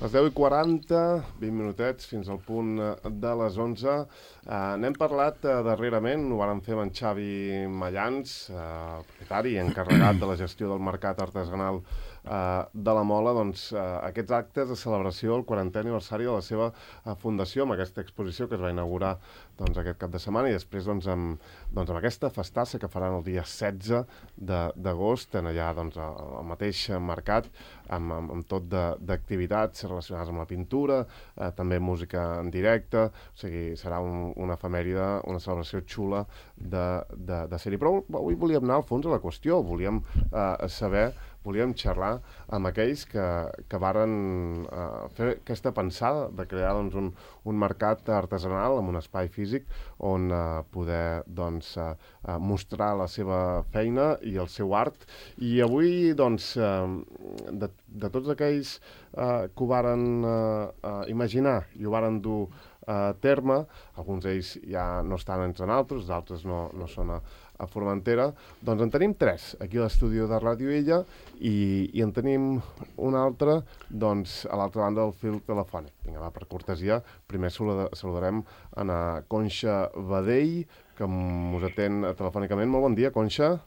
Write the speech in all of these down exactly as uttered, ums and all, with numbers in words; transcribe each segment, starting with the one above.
Les deu i quaranta, vint minutets fins al punt de les onze. Uh, N'hem parlat uh, darrerament, ho vàrem fer amb en Xavi Mallans, uh, propietari i encarregat de la gestió del mercat artesanal uh, de la Mola, doncs uh, aquests actes de celebració del quarantè aniversari de la seva uh, fundació, amb aquesta exposició que es va inaugurar doncs, aquest cap de setmana, i després doncs, amb, doncs, amb aquesta festassa que faran el dia setze d'agost, en allà doncs, al mateix mercat, amb, amb, amb tot d'activitats relacionades amb la pintura, eh, també música en directe, o sigui, serà un, una efemèride, una celebració xula de, de, de ser-hi. Però avui volíem anar al fons de la qüestió, volíem eh, saber, volíem xerrar amb aquells que, que varen eh, fer aquesta pensada de crear doncs, un, un mercat artesanal amb un espai físic on eh, poder doncs, eh, mostrar la seva feina i el seu art. I avui, doncs, eh, de, de tots aquells eh, que ho varen eh, eh, imaginar i ho varen dur a terme, alguns d'ells ja no estan entre nosaltres, d'altres no, no són a, a Formentera, doncs en tenim tres aquí a l'estudi de Ràdio Illa i, i en tenim un altre doncs, a l'altra banda del fil telefònic. Vinga, va, per cortesia, primer saludarem a na Conxa Badell, que us atén telefònicament. Molt bon dia, Conxa.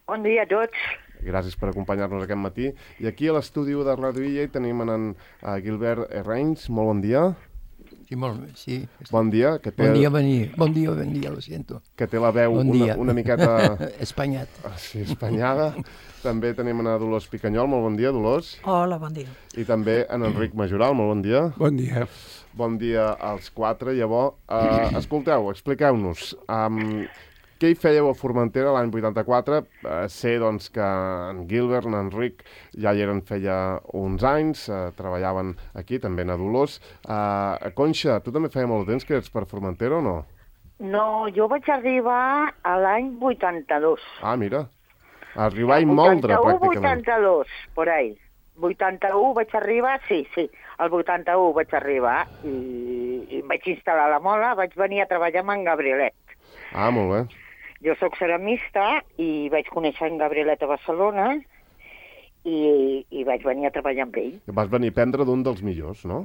Bon dia a tots. Gràcies per acompanyar-nos aquest matí. I aquí a l'estudi de Ràdio Illa hi tenim en, en Gilbert Herranys. Molt bon dia. Sí, molt, sí. Bon dia. Que té, bon dia, venir. Bon dia, bon dia, lo siento. Que té la veu bon una, una miqueta... Espanyat. Sí, espanyada. També tenim a Dolors Picanyol. Molt bon dia, Dolors. Hola, bon dia. I també en Enric Majoral. Molt bon dia. Bon dia. Bon dia als quatre. Llavors, uh, escolteu, expliqueu-nos. Um, Què hi fèieu a Formentera l'any vuitanta-quatre? Eh, sé doncs, que en Gilbert, en Enric, ja hi eren feia uns anys, eh, treballaven aquí, també a Dolors. Eh, Conxa, tu també feia molt de temps que ets per Formentera o no? No, jo vaig arribar a l'any vuitanta-dos. Ah, mira. Arribar i moldre, pràcticament. vuitanta-dos, por ahí. vuitanta-u vaig arribar, sí, sí, el vuitanta-u vaig arribar i, i vaig instal·lar la Mola, vaig venir a treballar amb en Gabrielet. Ah, molt bé. Jo sóc ceramista i vaig conèixer en Gabrielet a Barcelona i, i vaig venir a treballar amb ell. Vas venir a aprendre d'un dels millors, no?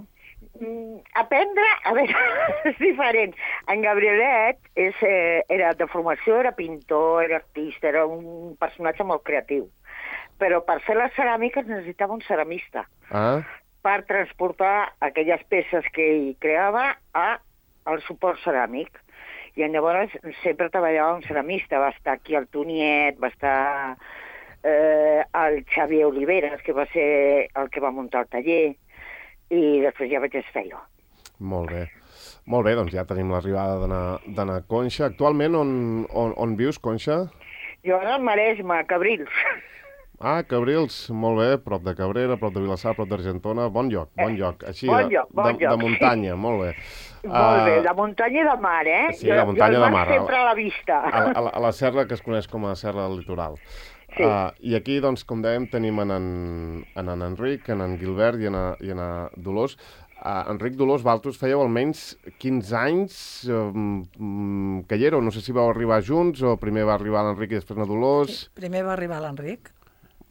Mm, aprendre, a veure, és diferent. En Gabrielet és, eh, era de formació, era pintor, era artista, era un personatge molt creatiu. Però per fer les ceràmiques necessitava un ceramista. Ah. Per transportar aquelles peces que ell creava a, al suport ceràmic. I llavors sempre treballava un ceramista, va estar aquí el Toniet, va estar eh, el Xavier Oliveres, que va ser el que va muntar el taller, i després ja vaig estar jo. Molt bé. Molt bé, doncs ja tenim l'arribada de na Conxa. Actualment on, on, on vius, Conxa? Jo ara al Maresme, a Cabrils. Ah, Cabrils, molt bé, prop de Cabrera, prop de Vilassar, prop d'Argentona, bon lloc, bon lloc, així bon lloc, de, bon de, lloc, de muntanya, sí. Molt bé. Molt bé, uh, de muntanya i de mar, eh? Sí, de muntanya i de mar. sempre a la vista. A, a, a la serra que es coneix com a serra del litoral. Sí. Uh, I aquí, doncs, com dèiem, tenim en en, en, en Enric, en en Gilbert i en, i en Dolors. Uh, Enric, Dolors, vosaltres fèieu almenys quinze anys um, que hi éreu, no sé si vau arribar junts o primer va arribar l'Enric i després na Dolors. Sí, primer va arribar l'Enric,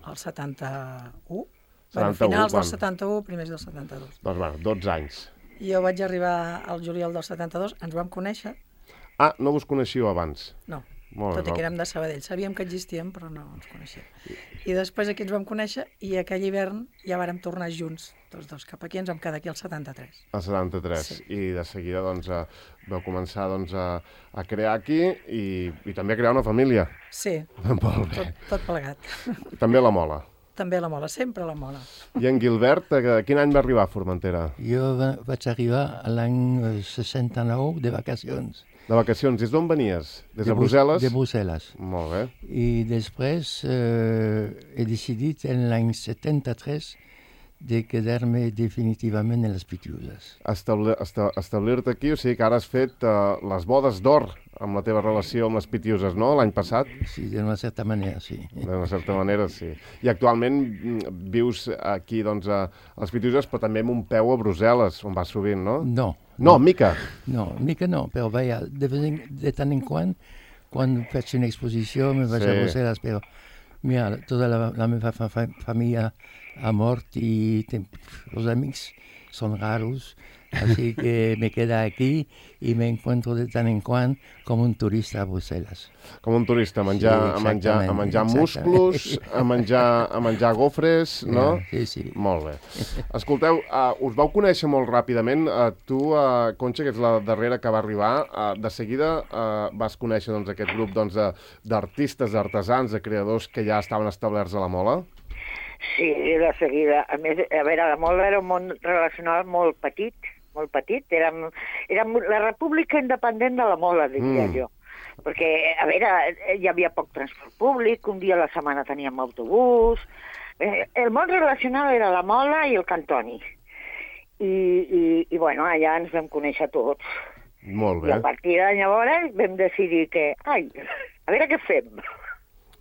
al setanta-u, setanta-u, bueno, finals quan? del setanta-u, primers del setanta-dos. Doncs, bueno, dotze anys. Jo vaig arribar al juliol del setanta-dos, ens vam conèixer. Ah, no vos coneixíeu abans? No, Molt tot bé, i que érem de Sabadell. Sabíem que existíem, però no ens coneixíem. I després aquí ens vam conèixer i aquell hivern ja vàrem tornar junts, tots dos, cap aquí, ens vam quedar aquí al setanta-tres. Al setanta-tres, sí. I de seguida doncs, a, vau començar doncs, a, a crear aquí i, i també a crear una família. Sí, Molt bé. tot, tot plegat. També a la Mola. També a la Mola, sempre a la Mola. I en Gilbert, a quin any va arribar a Formentera? Jo va, vaig arribar a l'any seixanta-nou de vacacions. De vacacions. Des d'on venies? Des de, de Brussel·les? De Brussel·les. Molt bé. I després eh, he decidit en l'any setanta-tres de quedar-me definitivament en les Pitiuses. Establir, esta, establir-te aquí, o sigui que ara has fet uh, les bodes d'or amb la teva relació amb les Pitiuses, no?, l'any passat? Sí, d'una certa manera, sí. D'una certa manera, sí. I actualment vius aquí, doncs, a les Pitiuses, però també amb un peu a Brussel·les, on vas sovint, no? No. No, mica. No, mica no, però vaja, de, de tant en quant, quan faig una exposició, me vaig Sí. a Brussel·les, però mira, tota la, la meva fa, fa, família ha mort i ten, els amics son raros, así que me queda aquí y me encuentro de tant en quant com un turista a Brussel·les. Com un turista, a menjar, Sí, a menjar, a menjar exactament. musclos, a menjar, a menjar gofres, no? Sí, sí. Molt bé. Escolteu, uh, us vau conèixer molt ràpidament. Uh, tu, uh, Conxa, que ets la darrera que va arribar, uh, de seguida uh, vas conèixer doncs, aquest grup doncs, de- d'artistes, d'artesans, de creadors que ja estaven establerts a la Mola? Sí, de seguida. A més, a veure, la Mola era un món relacional molt petit, molt petit. Érem, érem la república independent de la Mola, diria Mm. jo. Perquè, a veure, hi havia poc transport públic, un dia a la setmana teníem autobús. Eh, el món relacional era la Mola i el Cantoni. I, i, i bueno, allà ens vam conèixer tots. Molt I bé. a partir de llavors vam decidir que, ai, a veure què fem.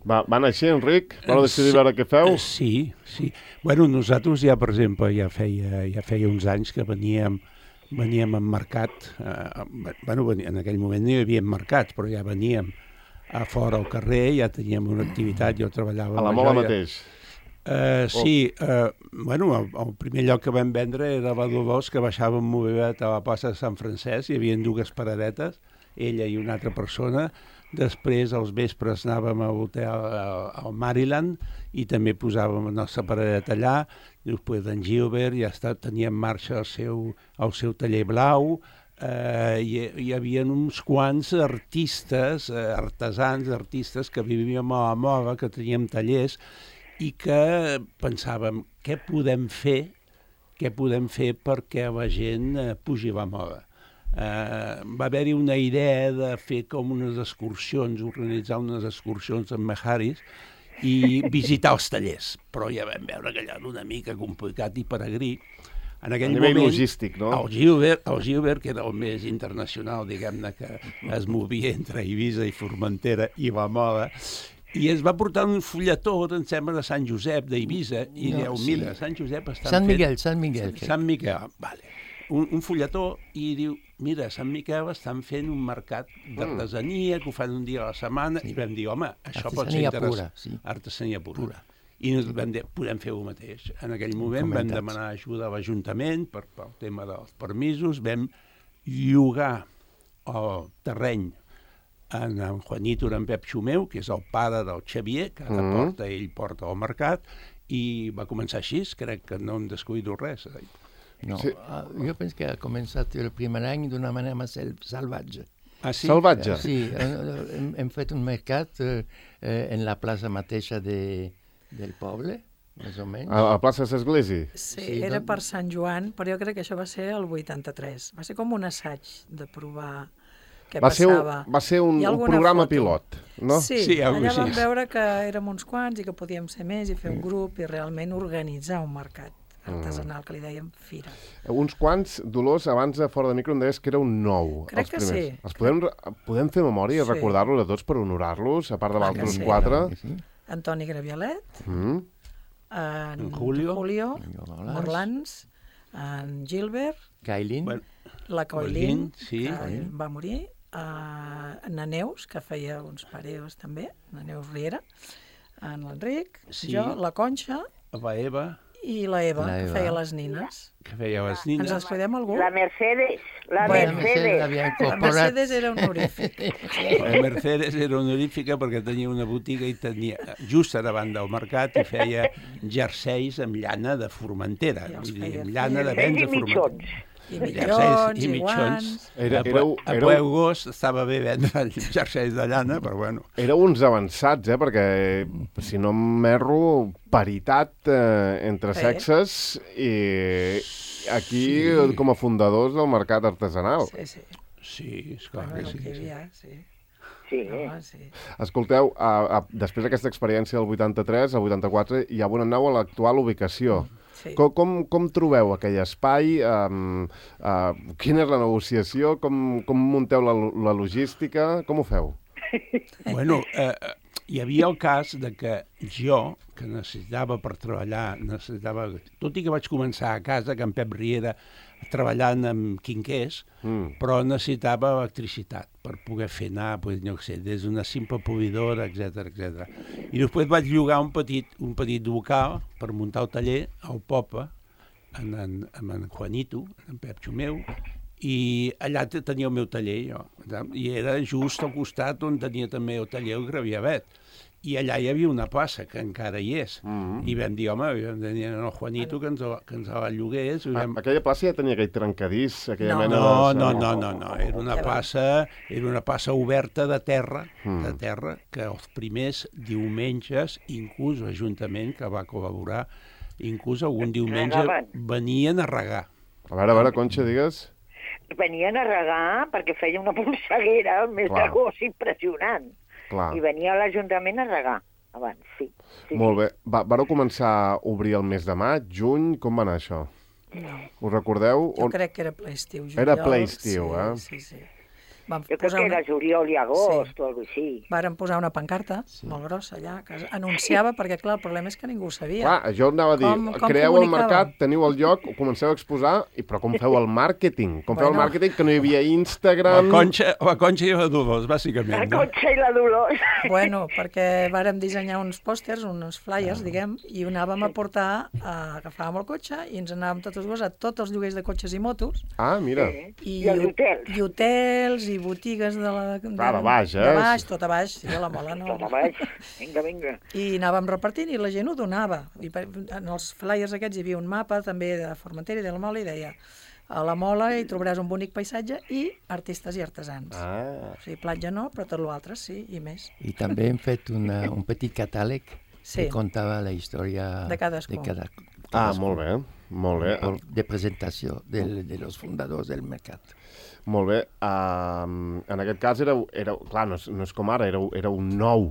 Va, van així, Enric? Vau decidir veure què feu? Sí, sí. Bueno, nosaltres ja, per exemple, ja feia, ja feia uns anys que veníem veníem en mercat, eh, bueno, en aquell moment no hi havia mercats, però ja veníem a fora al carrer, ja teníem una activitat, jo treballava... A la amb Mola joia. mateix? Uh, sí, uh, bueno, el, el primer lloc que vam vendre era la Dolors, que baixava en mobilet a la plaça de Sant Francesc, hi havia dues paradetes, ella i una altra persona. Després, als vespres, anàvem a l'hotel al Maryland i també posàvem la nostra paradeta allà. Després d'en Gilbert ja està, tenia en marxa el seu, el seu taller blau. Eh, hi, hi havia uns quants artistes, eh, artesans, artistes que vivíem a la Mola, que teníem tallers i que pensàvem què podem fer, què podem fer perquè la gent eh, pugi a la Mola. Uh, va haver-hi una idea de fer com unes excursions, organitzar unes excursions amb Mejaris i visitar els tallers, però ja vam veure que allò era una mica complicat i peregrí. En aquell A nivell moment, logístic, no? El Gilbert, el Gilbert, que era el més internacional, diguem-ne, que es movia entre Eivissa i Formentera i la Mola, i es va portar un fulletó, em sembla, de Sant Josep, d'Eivissa, i No, diu, sí. mira, Sant Josep estan Sant fent... Miguel, Sant Miguel. Sant Miquel, vale. Un, un fulletó i diu, mira, a Sant Miquel estan fent un mercat d'artesania que ho fan un dia a la setmana sí. I vam dir, home, això pot ser Artesania interessant. pura, sí. Artesania pura. Pura. I ens vam dir, podem fer el mateix. En aquell moment vam Comentats. demanar ajuda a l'Ajuntament per, pel tema dels permisos, vam llogar el terreny en, en Juanito, en Pep Xumeu, que és el pare del Xavier, que ara Mhm. porta, ell porta al mercat, i va començar així, crec que no em descuido res. Eh? No, Sí. ah, jo penso que ha començat el primer any d'una manera més sal- salvatge. Ah, sí? Salvatge? Sí, eh, hem, hem fet un mercat eh, eh, en la plaça mateixa de, del poble, més o menys. A la plaça de l'Església? Sí, Sí, era doncs- per Sant Joan, però jo crec que això va ser el vuitanta-tres. Va ser com un assaig de provar què Va ser, un, passava. va ser un, Hi ha un alguna programa foto? pilot, no? Sí, Sí, algo allà així. vam veure que érem uns quants i que podíem ser més i fer un grup i realment organitzar un mercat artesanal, que li dèiem fira. Uns quants, Dolors, abans de fora de micro em deies que era un nou. Crec els que primers. sí. Els podem, podem fer memòria i Sí. recordar-los a tots per honorar-los, a part de Clar que l'altres sí. quatre? Sí. Antoni Graviolet, Mm. en, En Julio. Julio Morlans. Morlans, en Gilbert, Gailin, Bueno, la Coilín, Coilín, sí. que Coilín. va morir, uh, en Neus, que feia uns pareos també, en Neus Riera, en l'Enric, Sí. jo, la Conxa la Eva, i la Eva, La que Eva. feia les nines. que feia les Ens nines. descuidem algú? La Mercedes, la Bueno, Mercedes. l'havia La incorporat. Mercedes era honorífic. La Mercedes era honorífica perquè tenia una botiga i tenia, just a davant del mercat, i feia jerseis amb llana de Formentera. I els Vull dir, feia amb llana de Jerseis vents i de Formentera. mitjons. I Jerseis mitjons, i i mitjons. guants. Era, a, éreu, a éreu, Peu Gos estava bé vendre jerseis de llana, però bueno. éreu uns avançats, eh? Perquè, si no m'erro, paritat eh, entre Sí. sexes i aquí Sí. com a fundadors del mercat artesanal. Sí, sí. Sí, esclar Bueno, que el sí. que hi sí. havia, sí. Sí. Home, sí. Escolteu, a, a, després d'aquesta experiència del vuitanta-tres, al vuitanta-quatre, ja vau anar a l'actual ubicació. Sí. Com, com, com trobeu aquell espai? Um, uh, quina és la negociació? Com, com munteu la, la logística? Com ho feu? Bueno, eh, eh, hi havia el cas de que jo, que necessitava per treballar, necessitava, tot i que vaig començar a casa, que en Pep Riera, treballant amb quinquers, Mm. però necessitava electricitat per poder fer anar, pues, no sé, des d'una simple polidora, etcètera, etcètera. I després vaig llogar un petit, un petit local per muntar el taller al Popa, en, en, amb en Juanito, en Pep Xumeu, i allà tenia el meu taller, jo. I era just al costat on tenia també el taller el Graviavet. I allà hi havia una plaça, que encara hi és. Mm-hmm. I vam dir, home, vam dir al Juanito que ens, que ens la llogués. Vam... Aquella plaça ja tenia aquell trencadís, aquella no. mena no, de... No, no, no, no, era una plaça, era una plaça oberta de terra, mm. de terra, que els primers diumenges, inclús l'Ajuntament, que va col·laborar, inclús algun diumenge venien a regar. A veure, a veure, Conxa, digues... Venien a regar perquè feia una polseguera al mes d'agost impressionant. Clar. I venia a l'Ajuntament a regar abans, sí. sí Molt bé. Va, vareu començar a obrir el mes de maig, juny, com va anar això? No. Us recordeu? Jo crec que era ple estiu. Juliol, era ple estiu, sí, eh? Sí, sí. Vam jo crec que era una... juliol i agost sí. o alguna cosa així. Vàrem posar una pancarta sí. molt grossa allà, que anunciava, perquè clar, el problema és que ningú ho sabia. Clar, jo anava a dir, com, com creeu el mercat, teniu el lloc, ho comenceu a exposar, i però com feu el màrqueting? Com feu bueno. el màrqueting que no hi havia Instagram... La Conxa, la Conxa i la Dolors, bàsicament. La Conxa i la Dolors. Bueno, perquè vàrem dissenyar uns pòsters, uns flyers, ah. diguem, i ho anàvem a portar, a, agafàvem el cotxe i ens anàvem tots els dos a tots els lloguers de cotxes i motos. Ah, mira. I, I els hotels. I hotels, i botigues de la... De, ah, de baix, eh? De baix, tot a baix, sí, a la mola no. Tot a baix, vinga, vinga. I anàvem repartint i la gent ho donava. I per, en els flyers aquests hi havia un mapa també de Formentera i de la Mola i deia a la Mola hi trobaràs un bonic paisatge i artistes i artesans. Ah. O sigui, platja no, però tot l'altre sí, i més. I també hem fet una, un petit catàleg sí. que contava la història de cadascú. De cada, cadascú. Ah, molt bé, molt bé. De presentació de, de los fundadors del mercat. Molt bé. Uh, en aquest cas, era, era, clar, no és, no és com ara, era, era un nou.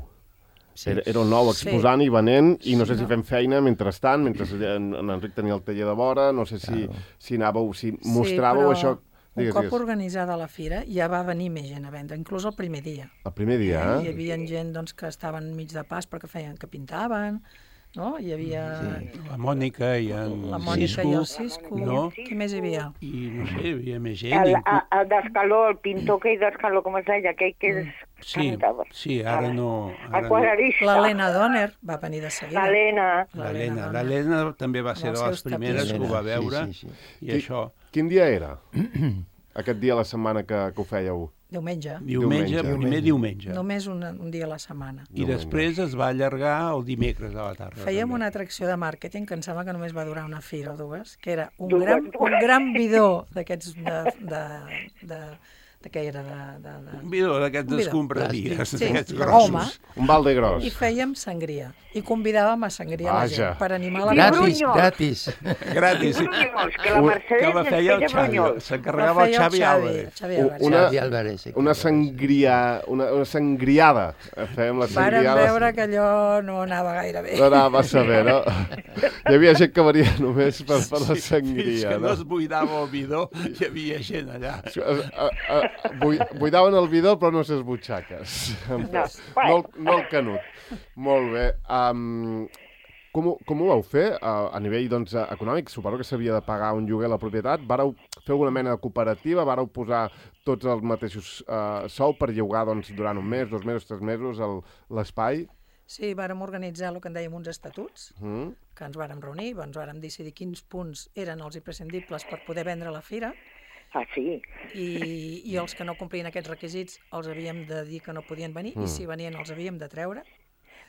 Sí. Era, era un nou exposant sí. i venent, i no sé si fem feina mentrestant, mentre en, en Enric tenia el taller de vora, no sé si, claro. si anàveu, si mostràveu sí, això... Digues, un cop digues. Organitzada la fira, ja va venir més gent a vendre, inclús el primer dia. El primer dia, eh? Hi havia gent doncs, que estaven mig de pas perquè feien que pintaven... No? Hi havia... Sí. La Mònica i en La Mònica Cisco, i el Cisco. No? Qui més hi havia? I no sé, hi havia més gent. El, el, el d'Escaló, el pintor que hi d'Escaló, com es deia, aquell que es sí, cantava. Sí, ara no... Ara el quadrista. L'Helena Donner va venir de seguida. L'Helena. L'Helena. L'Helena també va ser de les primeres que ho va veure. Sí, sí, sí. I Qui, això... Quin dia era? Aquest dia a la setmana que, que ho fèieu? Diumenge. Diumenge, diumenge. Primer diumenge. Només un, un dia a la setmana. I diumenge. Després es va allargar el dimecres a la tarda. Fèiem també. Una atracció de màrqueting que em sembla que només va durar una fira o dues, que era un gran, un gran bidó d'aquests de, de, de, de què era? De, de, de... Un bidó d'aquests escombraries, sí, d'aquests grossos. Home, un balde gros. I fèiem sangria. I convidàvem a sangria a la gent per animar la gratis, gratis. Gratis. Que la Mercedes que la feia el Xavi, s'encarregava el Xavi Álvarez. Una, una sangria, una, una sangriada. Fèiem la sangriada. Vàrem veure que allò no anava gaire bé. No anava massa bé, no? Hi havia gent que venia només per, per la sangria. Fins que no, no es buidava el bidó, hi havia gent allà. A, a, a, buidaven el bidó, però no ses butxaques. No, no, no el canut. Molt bé. Um, com, ho, com ho vau fer uh, a nivell doncs, econòmic? Suposo que s'havia de pagar un lloguer a la propietat. Vareu fer alguna mena de cooperativa? Vareu posar tots els mateixos uh, sou per llogar doncs, durant un mes, dos mesos, tres mesos l'espai? Sí, vàrem organitzar el que en dèiem uns estatuts, mm. que ens vàrem reunir, ens vàrem decidir quins punts eren els imprescindibles per poder vendre a la fira. Ah, sí? I, i els que no complien aquests requisits els havíem de dir que no podien venir, mm. i si venien els havíem de treure.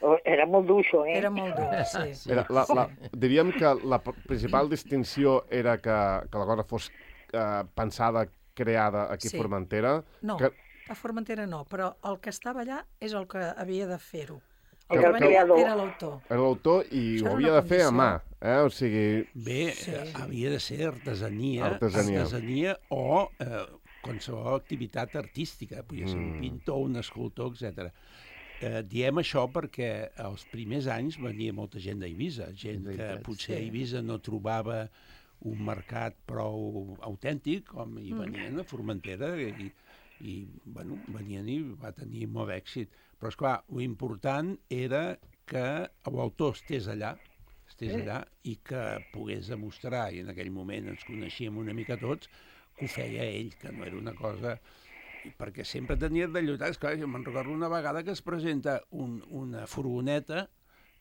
Oh, era molt dur, això, eh? Era molt dur, sí. sí. Era la, la, diríem que la principal distinció era que, que la cosa fos eh, pensada, creada aquí sí. a Formentera. No, que... a Formentera no, però el que estava allà és el que havia de fer-ho. El que, que venia era l'autor. Era l'autor i ho havia de fer a mà. Eh? O sigui... Bé, sí. havia de ser artesania, artesania. artesania o eh, qualsevol activitat artística, podia ser un Mm. pintor, un escultor, etcètera. Eh, diem això perquè als primers anys venia molta gent d'Eivissa, gent que potser a Eivissa no trobava un mercat prou autèntic, com hi venien a Formentera, i, i bueno, venien i va tenir molt d'èxit. Però, esclar, l'important era que l'autor estés allà, estés allà i que pogués demostrar, i en aquell moment ens coneixíem una mica tots, que ho feia ell, que no era una cosa... perquè sempre tenia de lluitar. Esclar, jo me'n recordo una vegada que es presenta un, una furgoneta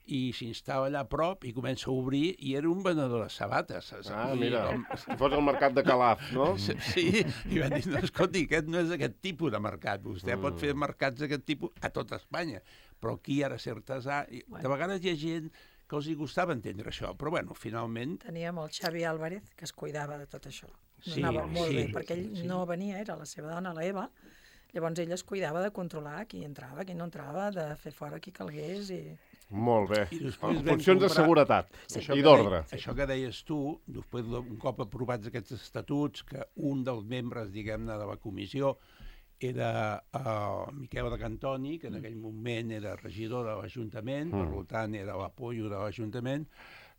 i s'instal·la allà a prop i comença a obrir i era un venedor de sabates. Saps? Ah, Vull dir, mira, com- si fos el mercat de Calaf, no? Sí, i van dir, no, escolti, aquest no és aquest tipus de mercat. Vostè mm. pot fer mercats d'aquest tipus a tot Espanya, però aquí ara ser artesà... I de vegades hi ha gent que els hi gustava entendre això, però bueno, finalment... Teníem el Xavi Álvarez, que es cuidava de tot això. Sí, Anava molt sí, bé, perquè ell sí. no venia, era la seva dona, la Eva, llavors ell es cuidava de controlar qui entrava, qui no entrava, de fer fora qui calgués i... Molt bé. I després En vam funcions de comprar- seguretat Això i que d'ordre. dei- Això que deies tu, després d'un cop aprovats aquests estatuts, que un dels membres, diguem-ne, de la comissió era uh, Miquel de Cantoni, que en aquell moment era regidor de l'Ajuntament, mm. per tant era l'apollo de l'Ajuntament.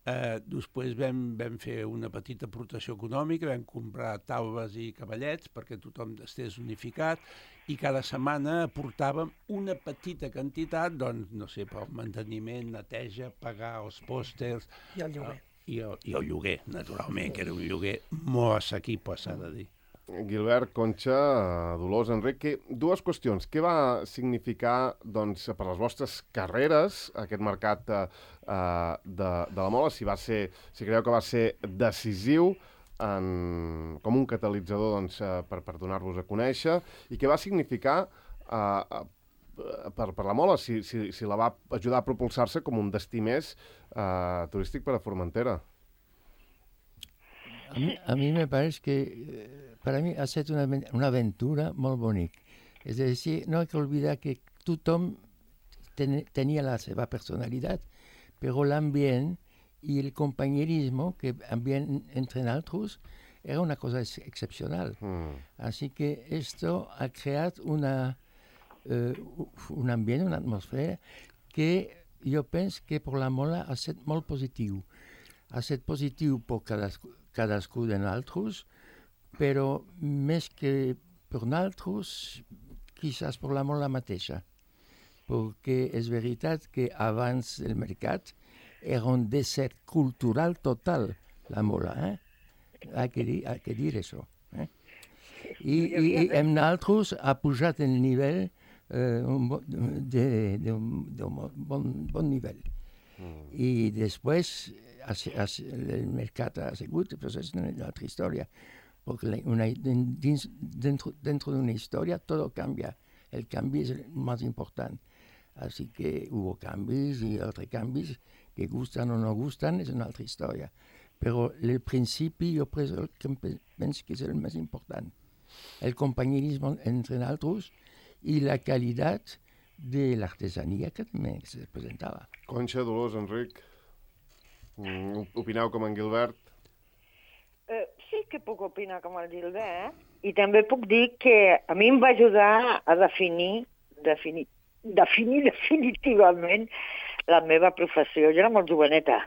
Eh, després vam, vam fer una petita aportació econòmica, vam comprar taules i cavallets perquè tothom estés unificat i cada setmana aportàvem una petita quantitat, doncs, no sé, pel manteniment, neteja, pagar els pòsters... I el lloguer. Uh, i, el, I el lloguer, naturalment, que era un lloguer molt assequible, s'ha de dir. Gilbert, Conxa, Dolors, Enric, que, dues qüestions. Què va significar doncs, per les vostres carreres aquest mercat eh, de, de la mola? Si, va ser, si creieu que va ser decisiu en, com un catalitzador doncs, eh, per, per donar-vos a conèixer, i què va significar eh, per, per la mola, si, si, si la va ajudar a propulsar-se com un destí més eh, turístic per a Formentera. A mí, a mí me parece que eh, para mí ha sido una, una aventura muy bonita. Es decir, no hay que olvidar que tothom ten, tenía la seva personalidad, pero el ambiente y el compañerismo que también entre nosotros era una cosa ex excepcional. Mm. Así que esto ha creado una, eh, un ambiente, una atmósfera que yo pienso que por la mola ha sido muy positivo. Ha sido positivo por cadascú, cadascú de nosaltres, però més que per nosaltres, quizás per la mola mateixa. Perquè és veritat que abans del mercat era un desert cultural total, la mola. Eh? Hay que dir, hay que dir això. Eh? I, i, i amb nosaltres ha pujat el nivell eh, un bon, de, de, un, de un bon, bon nivell. Mm. I després el mercat ha sigut, però és una altra història, perquè una, dins, dentro, dentro de una història tot canvia, el canvi és el més important, així que hubo canvis i altres canvis que gustan o no gustan, és una altra història, però el principi jo penso que és el més important, el companyerisme entre nosaltres i la qualitat de l'artesania que també se presentava. Conxa, Dolors, Enric, opineu com en Gilbert? Eh, sí que puc opinar com el Gilbert, i també puc dir que a mi em va ajudar a definir, definir, definir definitivament la meva professió. Jo era molt joveneta,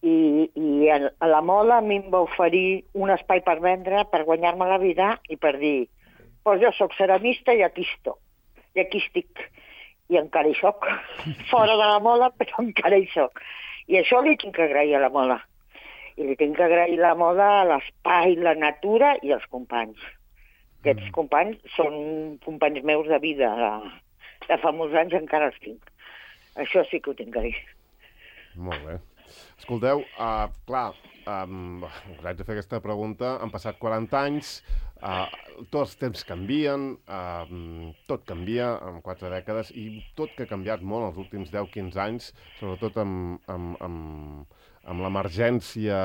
i, i a, a la mola a mi em va oferir un espai per vendre, per guanyar-me la vida i per dir, pues jo sóc ceramista i aquí estoc, i aquí estic, i encara hi soc, fora de la mola, però encara hi soc. I això li tinc que agrair a la mola. I li tinc que agrair la mola, l'espai, la natura i els companys. Aquests mm. companys són companys meus de vida. De, de fa molts anys encara els tinc. Això sí que ho tinc que dir. Molt bé. Escolteu, uh, clar, um, us haig de fer aquesta pregunta. Han passat quaranta anys, uh, tots els temps canvien, uh, tot canvia en quatre dècades i tot que ha canviat molt els últims deu quinze anys, sobretot amb, amb, amb, amb l'emergència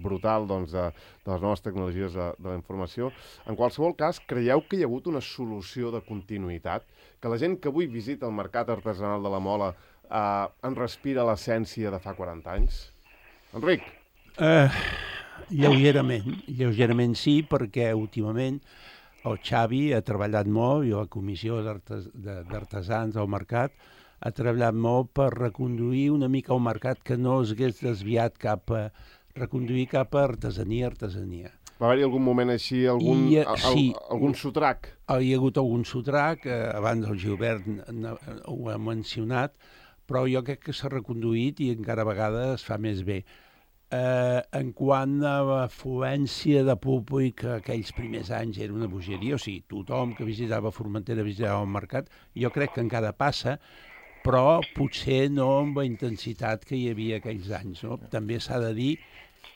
brutal doncs, de, de les noves tecnologies de, de la informació. En qualsevol cas, creieu que hi ha hagut una solució de continuïtat? Que la gent que avui visita el mercat artesanal de la Mola Uh, en respira l'essència de fa quaranta anys? Enric? Uh, lleugerament, lleugerament sí, perquè últimament el Xavi ha treballat molt i la comissió d'artesans del mercat ha treballat molt per reconduir una mica el mercat que no es hagués desviat cap a reconduir cap a artesania, artesania. Va haver-hi algun moment així, algun, I, uh, sí, algun sotrac? Hi ha hagut algun sotrac, eh, abans el Gilbert ho ha mencionat, però jo crec que s'ha reconduït i encara a vegades es fa més bé. Eh, en quant a l'afluència de públic, aquells primers anys era una bogeria, o sigui, tothom que visitava Formentera visitava el mercat, jo crec que encara passa, però potser no amb la intensitat que hi havia aquells anys. No? També s'ha de dir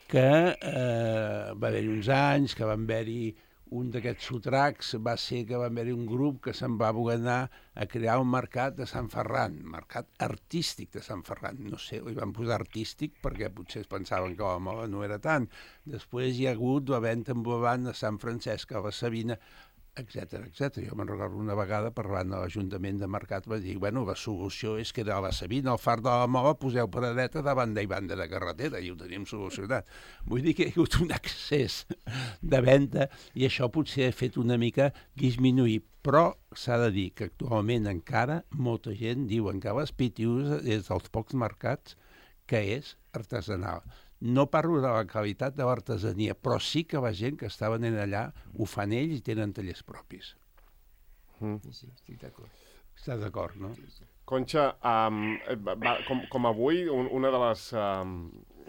que eh, va haver-hi uns anys, que van haver-hi un d'aquests sotracs, va ser que va haver-hi un grup que se'n va voler anar a crear un mercat de Sant Ferran, mercat artístic de Sant Ferran. No sé, li van posar artístic perquè potser es pensaven que la moda no era tant. Després hi ha hagut la venda ambulant a Sant Francesc, a la Sabina, etcètera, etcètera. Jo me'n recordo una vegada parlant a l'Ajuntament de Mercat, va dir, bueno, la solució és que a la Sabina, al far de la Mola, poseu paradeta de banda i banda de carretera, i ho tenim solucionat. Vull dir que hi ha hagut un excés de venda i això potser ha fet una mica disminuir, però s'ha de dir que actualment encara molta gent diuen que les Pitius és dels pocs mercats que és artesanal. No parlo de la qualitat de l'artesania, però sí que la gent que està venent allà ho fan ells i tenen tallers propis. Mm. Sí, sí, estic d'acord. Estàs d'acord, no? Conxa, um, va, com, com avui, un, una de les, um,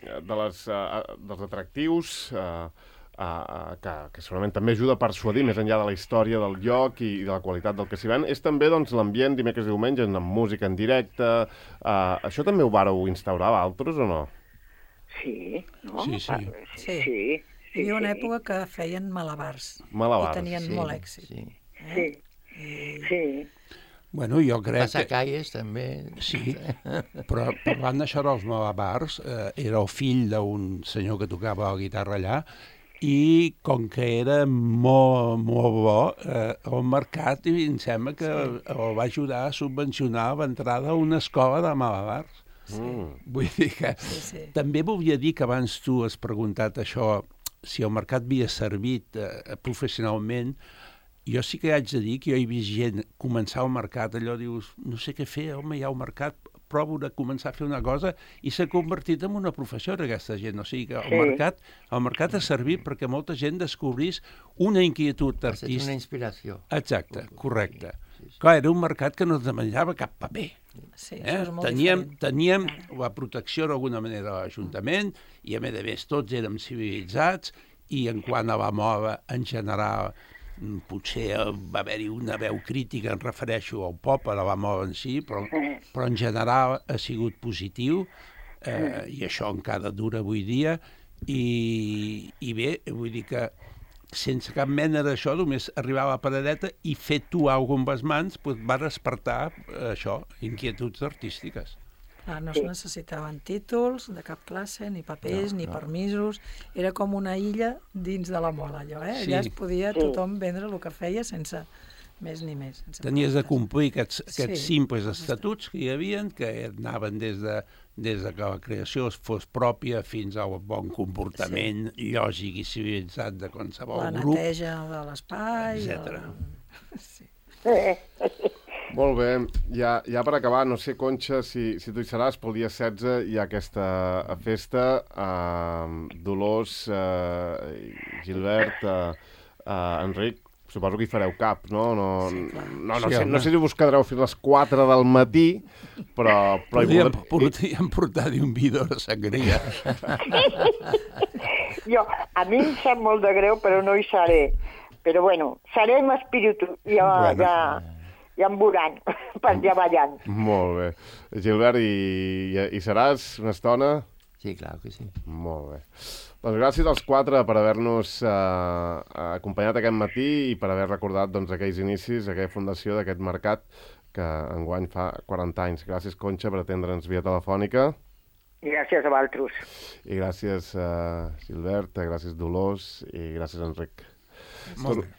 de les, uh, dels atractius uh, uh, uh, que, que segurament també ajuda a persuadir més enllà de la història del lloc i, i de la qualitat del que s'hi ven, és també doncs, l'ambient dimecres i diumenge, amb música en directe. Uh, això també ho vàreu instaurar a altres o no? Sí, no? Sí, sí. Sí. Sí, Hi havia una època que feien malabars. Malabars. I tenien Sí, molt èxit. sí. sí, I... sí. Bueno, jo crec que... Passacalles també. Sí, però parlant d'això dels malabars, eh, era el fill d'un senyor que tocava la guitarra allà i com que era molt, molt bo, eh, el mercat i em sembla que sí. el va ajudar a subvencionar l'entrada a una escola de malabars. Sí. Mm. Vull dir que Sí, sí. també volia dir que abans tu has preguntat això, si el mercat havia servit eh, professionalment. Jo sí que haig de dir que jo he vist gent començar al mercat, allò dius, no sé què fer, home, hi ha un mercat, provo de començar a fer una cosa i s'ha convertit en una professió aquesta gent. O sigui que el, Sí. mercat, el mercat ha servit perquè molta gent descobrís una inquietud Ha estat una artística. inspiració. Exacte, correcte. Sí, sí, sí. Clar, era un mercat que no es demanava cap paper. Sí, Eh? això és molt Teníem, diferent. teníem la protecció d'alguna manera de l'Ajuntament i a més a més tots érem civilitzats i en quant a la moda en general mm, potser va haver-hi una veu crítica, em refereixo al pop, a la moda en si, però, però en general ha sigut positiu eh, i això encara dura avui dia i, i bé, vull dir que sense cap mena d'això, només arribar a la paradeta i fer tu alguna amb les mans doncs va despertar eh, això, inquietuds artístiques. Clar, no es necessitaven títols de cap classe, ni papers, No, ni no. permisos. Era com una illa dins de la mola, allò, eh? Sí. Allà es podia Sí. tothom vendre el que feia sense més ni més. Sense Tenies de problemes. complir aquests, aquests Sí. simples estatuts que hi havia, que anaven des de, des de que la creació fos pròpia fins al bon comportament sí. lògic i civilitzat de qualsevol La grup. neteja de l'espai... etcètera. El... Sí. Molt bé, ja, ja per acabar, no sé, Conxa, si, si tu hi seràs, pel dia setze hi ha aquesta festa, eh, Dolors, eh, Gilbert, eh, eh, Enric, suposo que hi fareu cap, no? No, Sí, clar. no, no, Sí, sé, home. no sé si us quedareu fins les quatre del matí, però... però hi Podríem, podreu- podríem portar-hi un vidre de sangria. Jo, a mi em sap molt de greu, però no hi seré. Però bueno, seré amb espíritu, ja, Bueno. ja, ja em veuran, per allà ballant. Molt bé. Gilbert, hi, hi, hi seràs una estona? Sí, clar que sí. Molt bé. Doncs gràcies als quatre per haver-nos eh, acompanyat aquest matí i per haver recordat doncs, aquells inicis, aquella fundació d'aquest mercat que enguany fa quaranta anys. Gràcies, Conxa, per atendre'ns via telefònica. Gràcies a vosaltres. I gràcies, eh, Gilbert, gràcies, Dolors, i gràcies, Enric. Molt bé.